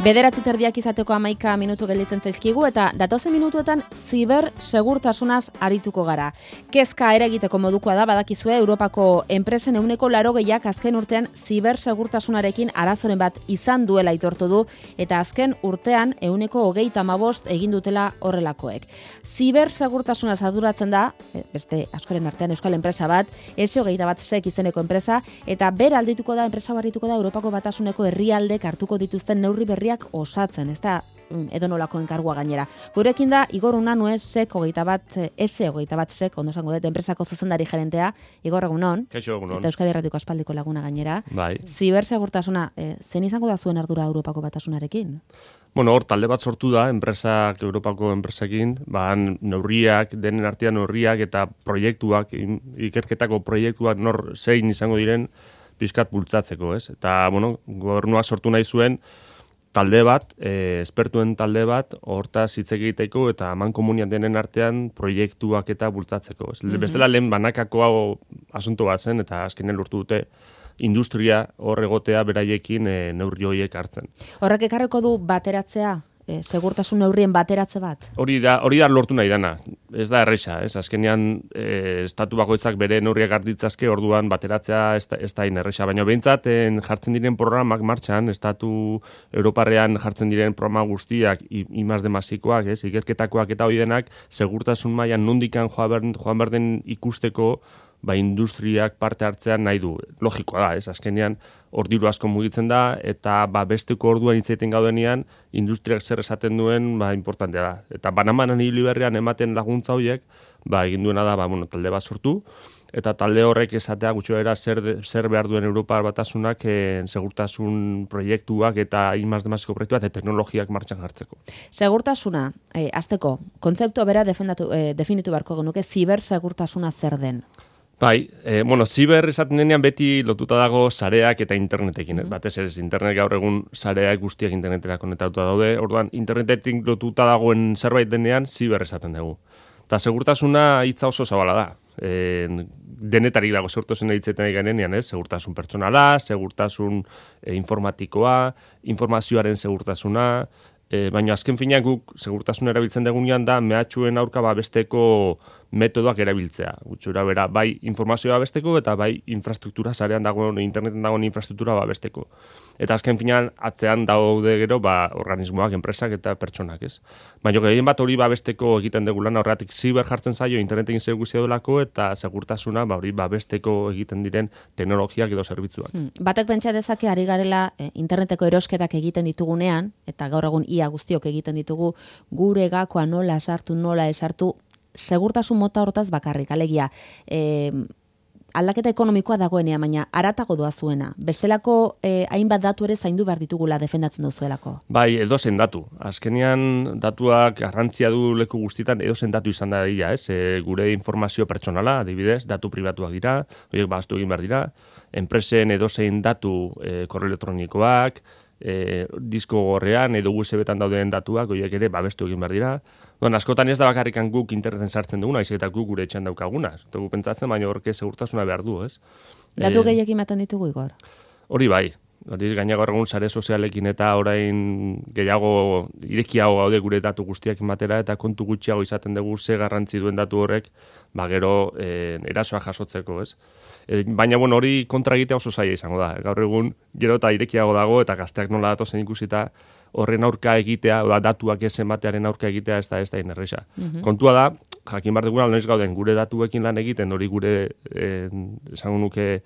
9:30 izateko 11 minutu gelditzen zaizkigu eta datozen minutuetan zibersegurtasunaz arituko gara. Kezka eragiteko modukoa da, badakizue Europako enpresen 80%ak azken urtean zibersegurtasunarekin arazoren bat izan duela aitortu du eta azken urtean 35% egin dutela horrelakoek. Zibersegurtasunaz arduratzen da, beste askoren artean euskal enpresa bat, S21sek izeneko enpresa, eta bera aldituko da, enpresa barrituko da Europako Batasuneko herrialdek hartuko dituzten neurri berriak osatzen, ez da edonolako enkargua gainera. Gurekin da, Igor Unanue, S21sek, ondo esango dut, enpresako zuzendari gerentea, Igor, egunon. Kaixo, egunon. Eta Euskadi Erratiko aspaldiko laguna gainera. Bai. Zibersegurtasuna, zen izango da zuen ardura Europako Batasunarekin? Bueno, hor talde bat sortu da, enpresak, Europako enpresekin, neurriak, denen artean neurriak eta proiektuak, ikerketako proiektuak nor zein izango diren pixkat bultzatzeko, ez? Eta, bueno, gobernuak sortu nahi zuen talde bat, espertuen talde bat, hortaz hitz egiteko eta amankomunian denen artean proiektuak eta bultzatzeko. Bestela lehen banakako asunto bat zen, eta azkenean lortu dute industria hor egotea beraiekin neurri horiek hartzen. Horrek ekarriko du bateratzea? Segurtasun neurrien bateratze bat? Hori da lortu nahi dana. Ez da erresa, ez? Azkenean estatu bakoitzak bere neurriak hartitzazke, orduan bateratzea ez da erresa. Baina behintzat jartzen diren programak martxan, estatu Europarrean jartzen diren programa guztiak, I+D+ikoak, ez? Ikerketakoak eta hori denak, segurtasun mailan nondikan joan berden ikusteko, industriak parte hartzean nahi du. Logikoa da, ez? Azkenean hor diru asko mugitzen da, eta besteko orduan hitzaiten gaudenean, industriak zer esaten duen, importantea da. Eta banamanan ibili berrian ematen laguntza horiek, egin duena da, talde bat sortu, eta talde horrek esatea gutxoera zer behar duen Europar Batasunak segurtasun proiektuak eta I+D+ko proiektuak eta teknologiak martxan jartzeko. Segurtasuna, hasteko, kontzeptua bera definitu beharko genuke, zibersegurtasuna zer den? Ziber esaten denean beti lotuta dago sareak eta internetekin. Batez ere, internet gaur egun sareak guztiak internetera konektatuta daude. Orduan, internetetik lotuta dagoen zerbait denean, ziber esaten dugu. Eta segurtasuna hitza oso zabala da. Denetarik dago segurtasun hitzetan garenean, ez? Segurtasun pertsonala, segurtasun informatikoa, informazioaren segurtasuna, baina azken finean guk segurtasun erabiltzen dugunean da mehatxuen aurka besteko metodoak erabiltzea. Gutxura bera, bai informazioa besteko eta bai infrastruktura sarean dagoen, interneten dagoen infrastruktura besteko. Eta azken finean atzean daude gero organismoak, enpresak eta pertsonak, ez? Baina gehien bat hori besteko egiten dugu lan, horretik ziber jartzen zaio internetekin zer guztia delako eta segurtasuna hori besteko egiten diren teknologiak edo zerbitzuak. Batek pentsa dezake ari garela interneteko erosketak egiten ditugunean, eta gaur egun ia guztiok egiten ditugu, gure gakoa nola esartu, segurtasun mota hortaz bakarrik, alegia, aldaketa ekonomikoa dagoenean, baina aratago doa zuena. Bestelako hainbat datu ere zaindu behar ditugula defendatzen duzuelako. Bai, edozen datu. Azkenean datuak garrantzia du leku guztietan edozen datu izan da dira, ez? Gure informazio pertsonala, adibidez, datu pribatuak dira, horiek baztu egin behar dira, enpresen edozein datu korreo elektronikoak, disko gorrean edo USB-tan dauden datuak, horiek ere babestu egin behar dira. Askotan ez da bakarrikan guk interneten sartzen duguna, aizik eta guk gure etxean daukaguna. Gu pentsatzen, baina horke segurtasuna behar du, ez? Datu gehiak ematen ditugu, Igor? Hori bai. Hori gainago egun sare sozialekin eta orain gehiago irekiago gaude gure datu guztiak ematera eta kontu gutxiago izaten dugu ze garrantzi duen datu horrek, gero erasoa jasotzeko, ez? Baina hori kontra egitea oso zaila izango da. Gaur egun gero eta irekiago dago eta gazteak nola datozen ikusita horren aurka egitea, datuak ez ematearen aurka egitea ez da inerresa. Kontua da, jakin behar duguna, noiz gauden gure datuekin lan egiten, hori gure esango nuke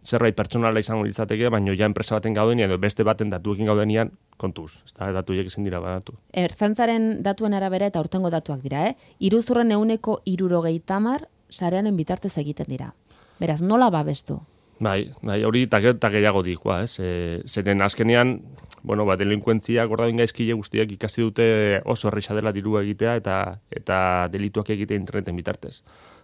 zerbait pertsonala izango litzateke, baina ja enpresa baten gaudenean edo beste baten datuekin gaudenean kontuz. Ez da, datuiek ezin dira badatu. Ertzaintzaren datuen arabera eta aurtengo datuak dira, iruzurren 170 sareanen bitartez egiten dira. Beraz, nola babestu? Bai, hori eta gehiago dikoa, ez? Zeren azkenean, delinkuentziak ordain gaizkile guztiak ikasi dute oso erresa dela dirua egitea eta delituak egitea interneten bitartez.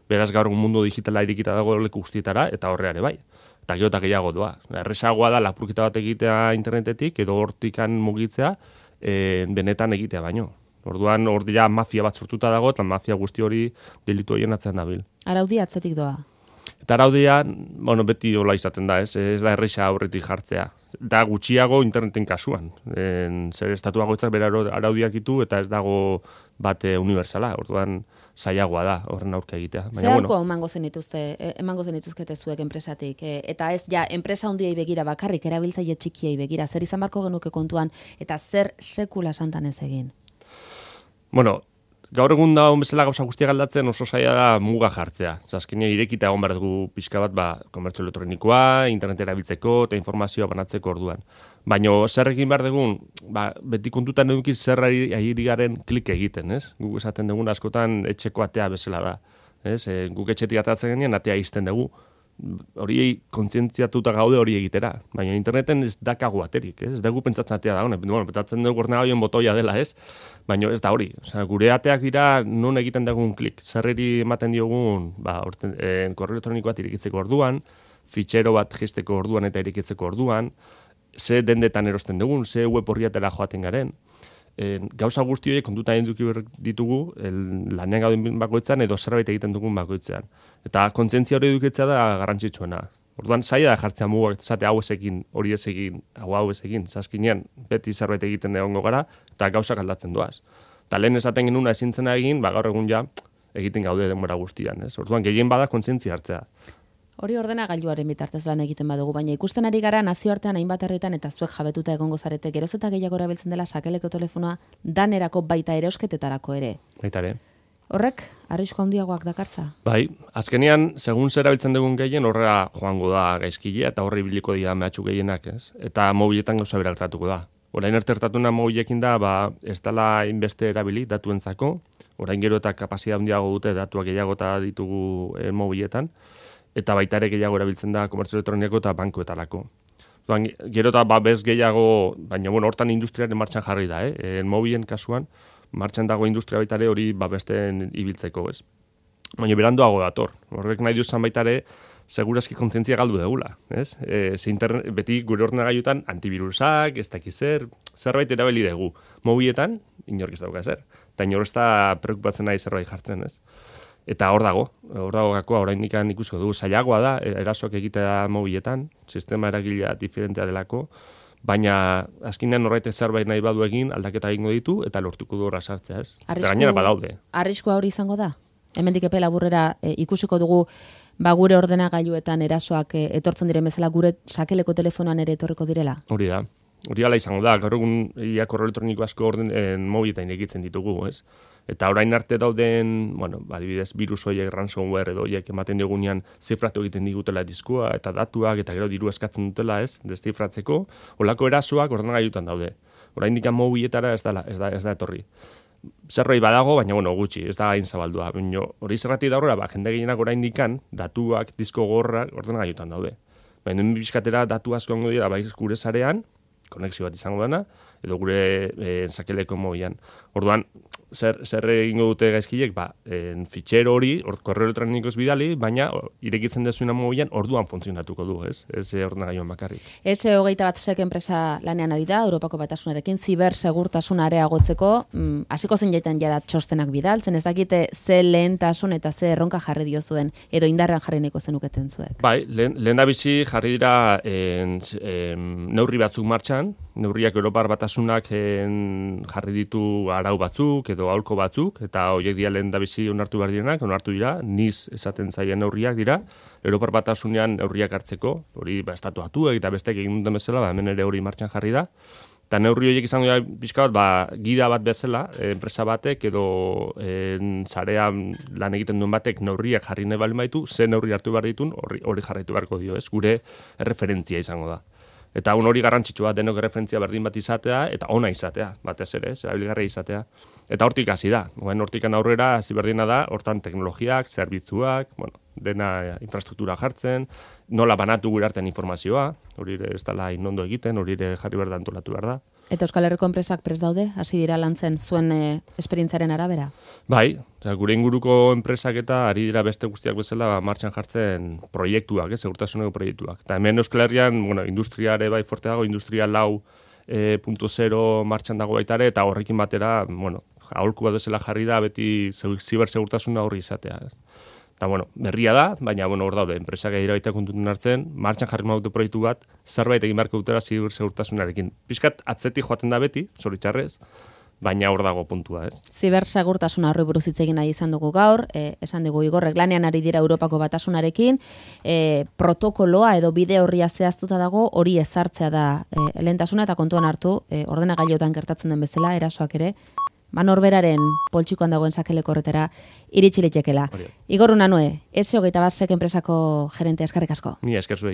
Beraz, gaur mundu digitala irikita dago leku guztietara eta horreare bai. Eta gero eta gehiago doa. Errezagoa da lapurketa bat egitea internetetik edo hortikan mugitzea benetan egitea baino. Orduan, mafia bat sortuta dago eta mafia guzti hori delitu horien atzean dabil. Araudi atzetik doa? Eta araudia, bueno, beti hola izaten da, ez da erresa aurretik jartzea. Da gutxiago interneten kasuan. Zer estatu bakoitzak bere araudiak ditu eta ez dago bate universala. Orduan zailagoa da horren aurka egitea. Zer aurko emango zenituzkete zuek enpresatik? Eta ez ja, enpresa handiei begira bakarrik, erabiltzaile txikiei begira. Zer izan barko genuke kontuan eta zer sekula santan ez egin? Bueno, gaur egun da bezala gauza guztiak aldatzen oso zaila da muga jartzea. Azkenean irekita egon behar dugu pixka bat, komertzio elektronikoa, internet erabiltzeko eta informazioa banatzeko orduan. Baina zer egin behar dugun, beti kontutan edukiz zer ari garen klik egiten, ez? Guk esaten dugun askotan etxeko atea bezala da. Ez? Guk etxetik atatzen genean atea izten dugu. Hori kontzientziatuta gaude hori egitera. Baina interneten ez dakagu aterik, ez? Ez dugu pentsatzen atea da, pentsatzen dugu ordenagailuan botoia dela, ez? Baina ez da hori. Osea, gure ateak dira non egiten dugun klik. Zerreri ematen diogun, korreo elektronikoa irekitzeko orduan, fitxero bat jisteko orduan eta irekitzeko orduan, ze dendetan erosten dugun, ze web horriatela joaten garen. Gauza guzti horiek kontutan eduki ditugu lanean gauden bakoitzan edo zerbait egiten dugun bakoitzean. Eta kontzientzia hori edukitzea da garrantzitsuena. Orduan zaila da jartzea mugak, esate hau ez egin, hori ez egin, hau ez egin. Zaskinean beti zerbait egiten egongo gara eta gauzak aldatzen doaz. Eta lehen esaten genuna ezintzena egin, gaur egun ja egiten gaude denbora guztian. Ez? Orduan gehien bada kontzientzia hartzea. Hori ordenagailuaren bitartez lan egiten badugu, baina ikusten ari gara nazioartean hainbat herritan eta zuek jabetuta egongo zarete geroz eta gehiago erabiltzen dela sakeleko telefonoa danerako baita erosketetarako ere. Baita ere. Horrek arrisku handiagoak dakartza? Bai, azkenean, segun zer erabiltzen dugun gehien, horrela joango da gaizkilea eta horri biliko dira mehatxu gehienak, ez? Eta mobiletan gauza beraltzatuko da. Orain ertertatuna mobilekin da, ez dela inbeste erabili datuentzako, orain gero eta kapazitatea handiago dute datuak gehiago eta ditugu mobiletan, eta baita ere gehiago erabiltzen da komertzio elektroniko eta bankuetarako. Gero eta bez gehiago, baina hortan industriaren martxan jarri da, mobilen kasuan, martxan dago industria baita ere hori besten ibiltzeko, ez? Baina beranduago dator. Horrek nahi duzan baita ere, segurazki kontzientzia galdu degula, ez? Beti gure ordenagailutan antivirusak, ez dakiz zerbait erabili dugu. Mobiletan, inork ez dauka zer. Eta inor ez da preokupatzen nahi zerbait jartzen, ez? Eta hor dago gakoa, oraindik ikusko dugu, zailagoa da, erasoak egitea mobiletan, sistema eragilea diferentea delako, baina azkenean horreit zerbait nahi badu egin, aldaketa egingo ditu, eta lortuko du horra sartzea, ez? Eta gainera badaude. Arriskua hori izango da? Hemendik epe laburrera ikusiko dugu, gure ordenagailuetan erasoak etortzen diren bezala, gure sakeleko telefonoan ere etorriko direla? Hori da. Hori ala izango da, gaur egun korreo elektroniko asko mobiletan egitzen ditugu, ez? Eta orain arte dauden, adibidez, virus horiek, ransomware edo horiek ematen digunean zifratu egiten digutela diskua eta datuak eta gero diru eskatzen dutela, ez? Deszifratzeko, holako erasoak ordenagailutan daude. Orain dikan mobiletara ez da etorri. Zerbait badago, baina gutxi, ez da gain zabaldua. Hori zerratik da horrela, jende gehienak orain dikan datuak, disko gorrak ordenagailutan daude. Baina bizkatera datu asko ongo dira, gure sarean, konexio bat izango dena, edo gure sakeleko mobilan. Orduan, zer egingo dute gaizkilek, fitxero hori, korreo elektronikoz bidali, baina irekitzen dezuena mobilan orduan funtzionatuko du, ez? Ez ordenagailuan bakarrik. S21 enpresa lanean ari da, Europako Batasunarekin, zibersegurtasuna areagotzeko, hasiko zen jaitan jada txostenak bidaltzen, ez dakite ze lehentasun eta ze erronka jarri diozuen, edo indarrean jarri nahiko zenuketen zuek. Bai, lehen da bizi jarri dira neurri batzuk martxan, neurriak Europar Batasunak jarri ditu arau batzuk edo aholko batzuk, eta horiek dira lehen da bizi onartu behar direnak, onartu dira, niz esaten zaien neurriak dira, Europar Batasunean neurriak hartzeko, hori estatuatuek eta bestek egin duten bezala, hemen ere hori martxan jarri da, eta neurri horiek izango dira pixka bat, gida bat bezala, enpresa batek edo sarean lan egiten duen batek neurriak jarri nahi bali maitu, ze neurri hartu behar ditun, hori jarraitu beharko dio, ez? Gure erreferentzia izango da. Eta hori garrantzitsua denok referentzia berdin bat izatea, eta ona izatea, batez ere, erabilgarria izatea. Eta hortik hasi da. Hortikan aurrera hasi berdina da, hortan teknologiak, zerbitzuak, dena infrastruktura jartzen, nola banatu gure artean informazioa, hori ez dela inondo egiten, hori jarri behar da antolatu behar da. Eta Euskal Herriko enpresak prest daude, hasi dira lantzen zuen esperientziaren arabera? Bai, gure inguruko enpresak eta ari dira beste guztiak bezala martxan jartzen proiektuak, segurtasuneko proiektuak. Eta hemen Euskal Herrian, industriare bai forte dago, industria 4.0 martxan dago baitare, eta horrekin batera, aholku bat bezala jarri da, beti zibersegurtasuna horri izatea. Eta, berria da, baina, hor daude, enpresak edira baita kontutun hartzen, martxan jarri maute proiektu bat, zerbait egin beharko dutela zibersegurtasunarekin. Piskat, atzetik joaten da beti, zoritxarrez, baina hor dago puntua, ez? Zibersegurtasuna horri buruz hitz egin nahi izan dugu gaur, esan dugu Igorrek lanean ari dira Europako Batasunarekin, protokoloa edo bide horria zehaztuta dago, hori ezartzea da lehentasuna eta kontuan hartu, ordenagailuetan gertatzen den bezala, erasoak ere, norberaren poltsikoan dagoen sakeleko horretara iritsi litekela. Igor Unanue, S21 enpresako gerente, eskerrik asko. Mila esker zuei.